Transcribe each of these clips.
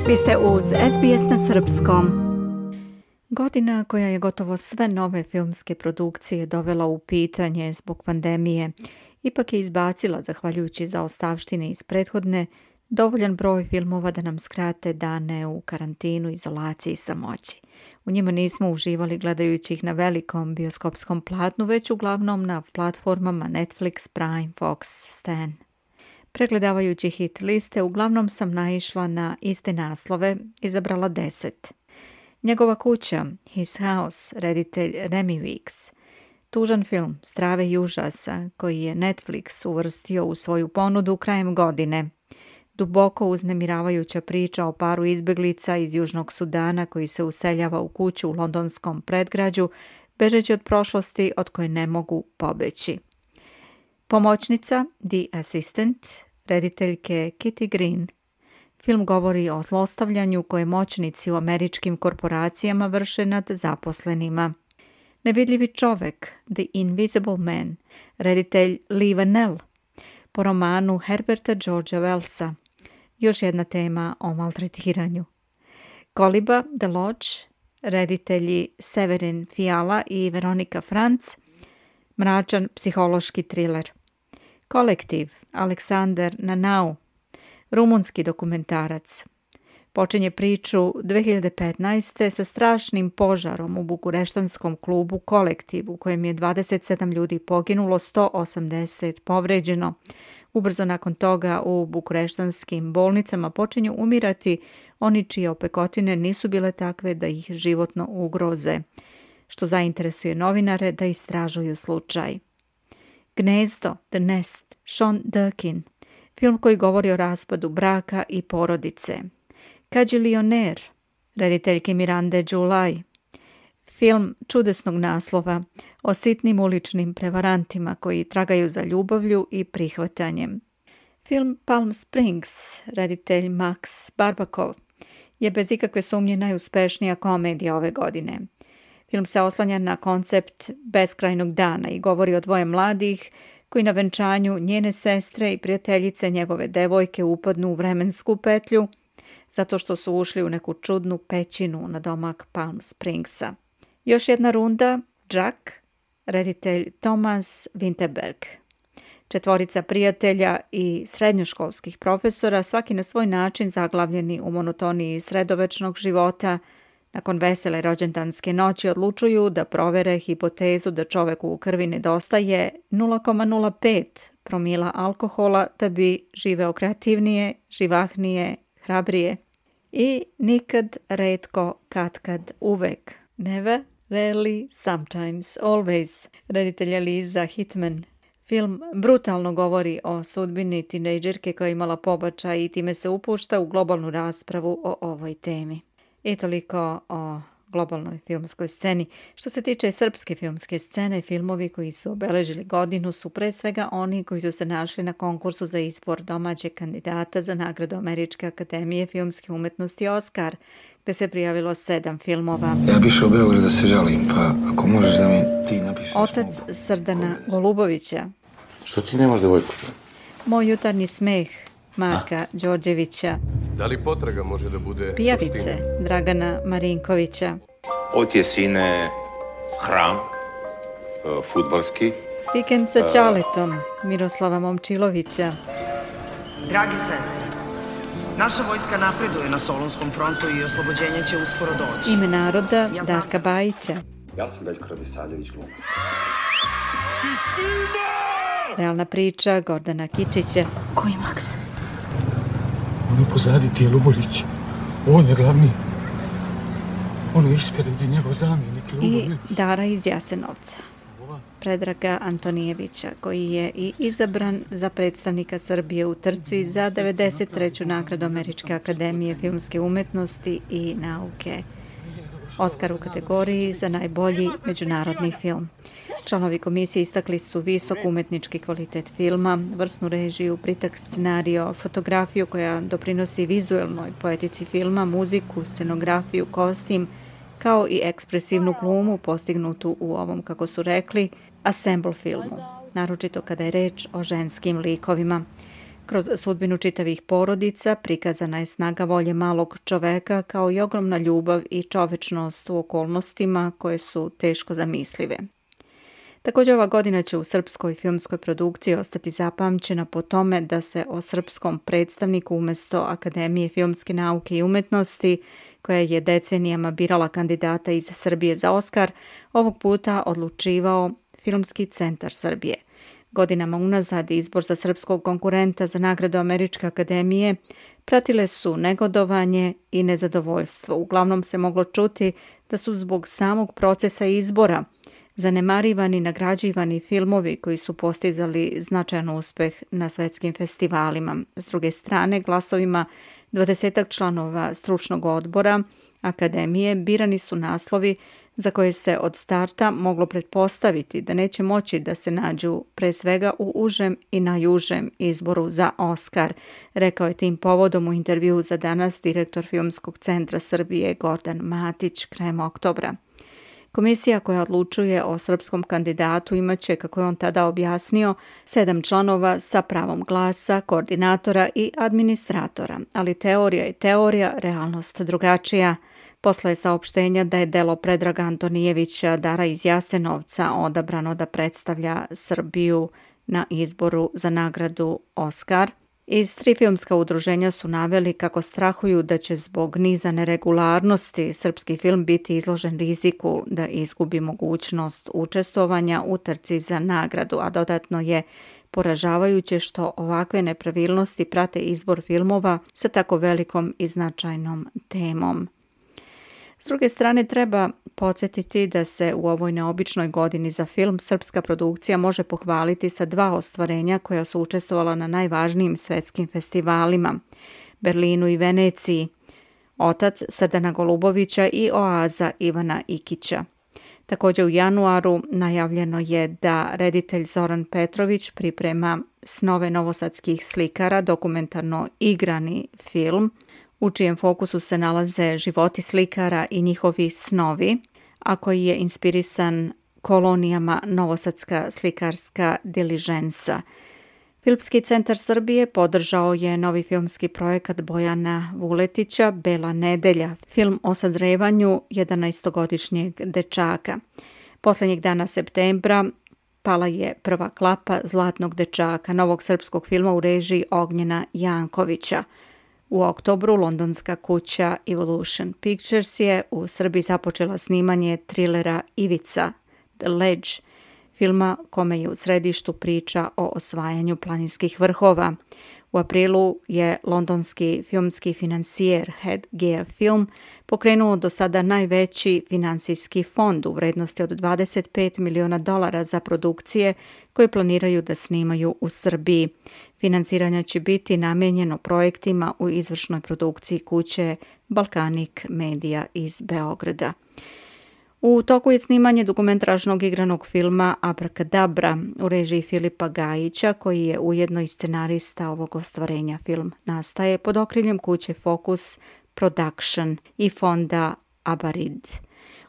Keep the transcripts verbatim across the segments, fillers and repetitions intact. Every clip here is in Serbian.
Vi ste uz S B S na srpskom. Godina koja je gotovo sve nove filmske produkcije dovela u pitanje zbog pandemije, ipak je izbacila, zahvaljujući zaostavštine iz prethodne, dovoljan broj filmova da nam skrate dane u karantinu, izolaciji i samoći. U njima nismo uživali gledajući ih na velikom bioskopskom platnu, već uglavnom na platformama Netflix, Prime, Fox, Stan. Pregledavajući hit liste, uglavnom sam naišla na iste naslove, izabrala deset. Njegova kuća, His House, reditelj Remi Weeks. Tužan film strave i užasa koji je Netflix uvrstio u svoju ponudu krajem godine. Duboko uznemiravajuća priča o paru izbjeglica iz Južnog Sudana koji se useljava u kuću u londonskom predgrađu, bežeći od prošlosti od koje ne mogu pobeći. Pomoćnica, The Assistant, rediteljke Kitty Green. Film govori o zlostavljanju koje moćnici u američkim korporacijama vrše nad zaposlenima. Nevidljivi čovek, The Invisible Man, reditelj Lee Vanell, po romanu Herberta Georgea Wellsa. Još jedna tema o maltretiranju. Koliba, The Lodge, reditelji Severin Fiala i Veronika Franc, mračan psihološki triler. Kolektiv, Aleksandar Nanau, rumunski dokumentarac. Počinje priču dve hiljade petnaeste. sa strašnim požarom u bukureštanskom klubu Kolektiv, u kojem je dvadeset sedam ljudi poginulo, sto osamdeset povređeno. Ubrzo nakon toga u bukureštanskim bolnicama počinju umirati oni čije opekotine nisu bile takve da ih životno ugroze, što zainteresuje novinare da istražuju slučaj. Gnezdo, The Nest, Sean Durkin, film koji govori o raspadu braka i porodice. Kađilioner, rediteljke Mirande July, film čudesnog naslova o sitnim uličnim prevarantima koji tragaju za ljubavlju i prihvatanjem. Film Palm Springs, reditelj Max Barbakov, je bez ikakve sumnje najuspešnija komedija ove godine. Film se oslanja na koncept beskrajnog dana i govori o dvoje mladih koji na venčanju njene sestre i prijateljice njegove devojke upadnu u vremensku petlju zato što su ušli u neku čudnu pećinu na domak Palm Springsa. Još jedna runda, Jack, reditelj Thomas Winterberg. Četvorica prijatelja i srednjoškolskih profesora, svaki na svoj način zaglavljeni u monotoniji sredovečnog života, nakon vesele rođendanske noći odlučuju da provere hipotezu da čoveku u krvi nedostaje nula zarez nula pet promila alkohola da bi živeo kreativnije, živahnije, hrabrije. I nikad, retko, katkad, uvek. Never, rarely, sometimes, always. Reditelja Liza Hitman. Film brutalno govori o sudbini tinejdžerke koja je imala pobačaj i time se upušta u globalnu raspravu o ovoj temi. I toliko o globalnoj filmskoj sceni. Što se tiče srpske filmske scene, filmovi koji su obeležili godinu su pre svega oni koji su se našli na konkursu za izbor domaćeg kandidata za nagradu Američke akademije filmske umetnosti Oscar, gde se prijavilo sedam filmova. Ja bi išao u Beograd da se žalim, pa ako možeš da mi ti napišeš... Otac Srdana Golubovića. Što ti nemaš devojku, čovjek? Moj jutarnji smeh Marka A? Đorđevića. Da li potraga može da bude Pijavice suština? Dragana Marinkovića. Od je sine hram, fudbalski. Vikend sa Ćaletom Miroslava Momčilovića. Dragi sestre, naša vojska napreduje na Solunskom frontu i oslobođenje će uskoro doći. Ime naroda Darka Bajića. Ja sam Veljko Radisavljević, glumac. Realna priča Gordana Kičića. Koji Maks? On je pozadi ti je Luborić. On je glavni. On je ispred njegov zamjenik. I Dara iz Jasenovca. Predraga Antonijevića, koji je i izabran za predstavnika Srbije u trci za devedeset treću nagradu Američke akademije filmske umetnosti i nauke. Oskar u kategoriji za najbolji međunarodni film. Članovi komisije istakli su visok umetnički kvalitet filma, vrsnu režiju, pritak scenario, fotografiju koja doprinosi vizuelnoj poetici filma, muziku, scenografiju, kostim, kao i ekspresivnu glumu postignutu u ovom, kako su rekli, ensemble filmu, naročito kada je reč o ženskim likovima. Kroz sudbinu čitavih porodica prikazana je snaga volje malog čoveka kao i ogromna ljubav i čovečnost u okolnostima koje su teško zamislive. Također ova godina će u srpskoj filmskoj produkciji ostati zapamćena po tome da se o srpskom predstavniku umjesto Akademije filmske nauke i umetnosti, koja je decenijama birala kandidata iz Srbije za Oskar, ovog puta odlučivao Filmski centar Srbije. Godinama unazad izbor za srpskog konkurenta za nagradu Američke akademije pratile su negodovanje i nezadovoljstvo. Uglavnom se moglo čuti da su zbog samog procesa izbora zanemarivani nagrađivani filmovi koji su postizali značajan uspeh na svetskim festivalima. S druge strane, glasovima dvadesetak članova stručnog odbora akademije birani su naslovi za koje se od starta moglo pretpostaviti da neće moći da se nađu pre svega u užem i najužem izboru za Oskar, rekao je tim povodom u intervjuu za Danas direktor Filmskog centra Srbije Gordan Matić krajem oktobra. Komisija koja odlučuje o srpskom kandidatu imaće, kako je on tada objasnio, sedam članova sa pravom glasa, koordinatora i administratora, ali teorija je teorija, realnost drugačija. Posle je saopštenja da je delo Predraga Antonijevića Dara iz Jasenovca odabrano da predstavlja Srbiju na izboru za nagradu Oskar. Iz tri filmska udruženja su naveli kako strahuju da će zbog niza neregularnosti srpski film biti izložen riziku da izgubi mogućnost učestvovanja u trci za nagradu, a dodatno je poražavajuće što ovakve nepravilnosti prate izbor filmova sa tako velikom i značajnom temom. S druge strane, treba podsjetiti da se u ovoj neobičnoj godini za film srpska produkcija može pohvaliti sa dva ostvarenja koja su učestvovala na najvažnijim svetskim festivalima, Berlinu i Veneciji, Otac Srdana Golubovića i Oaza Ivana Ikića. Također u januaru najavljeno je da reditelj Zoran Petrović priprema Snove novosadskih slikara, dokumentarno igrani film, u čijem fokusu se nalaze životi slikara i njihovi snovi, a koji je inspirisan kolonijama Novosadska slikarska diližensa. Filmski centar Srbije podržao je novi filmski projekat Bojana Vuletića Bela nedelja, film o sazrevanju jedanaestogodišnjeg dečaka. Posljednjeg dana septembra pala je prva klapa Zlatnog dečaka, novog srpskog filma u režiji Ognjena Jankovića. U oktobru londonska kuća Evolution Pictures je u Srbiji započela snimanje trilera Ivica, The Ledge, filma kome je u središtu priča o osvajanju planinskih vrhova. U aprilu je londonski filmski financijer Headgear Film pokrenuo do sada najveći finansijski fond u vrednosti od dvadeset pet miliona dolara za produkcije koje planiraju da snimaju u Srbiji. Finansiranje će biti namijenjeno projektima u izvršnoj produkciji kuće Balkanik Media iz Beograda. U toku je snimanje dokumentražnog igranog filma Abrakadabra u režiji Filipa Gajića, koji je ujedno i scenarista ovog ostvarenja. Film nastaje pod okriljem kuće Focus Production i fonda Abarid.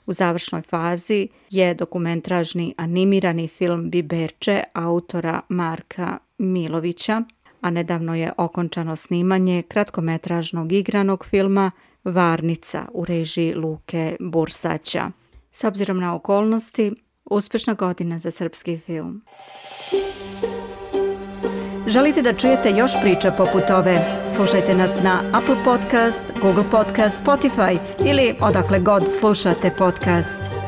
U završnoj fazi je dokumentražni animirani film Biberče autora Marka Milovića, a nedavno je okončano snimanje kratkometražnog igranog filma Varnica u režiji Luke Bursaća. S obzirom na okolnosti, uspješna godina za srpski film. Želite da čujete još priča poput ove? Slušajte nas na Apple Podcast, Google Podcast, Spotify ili odakle god slušate podcast.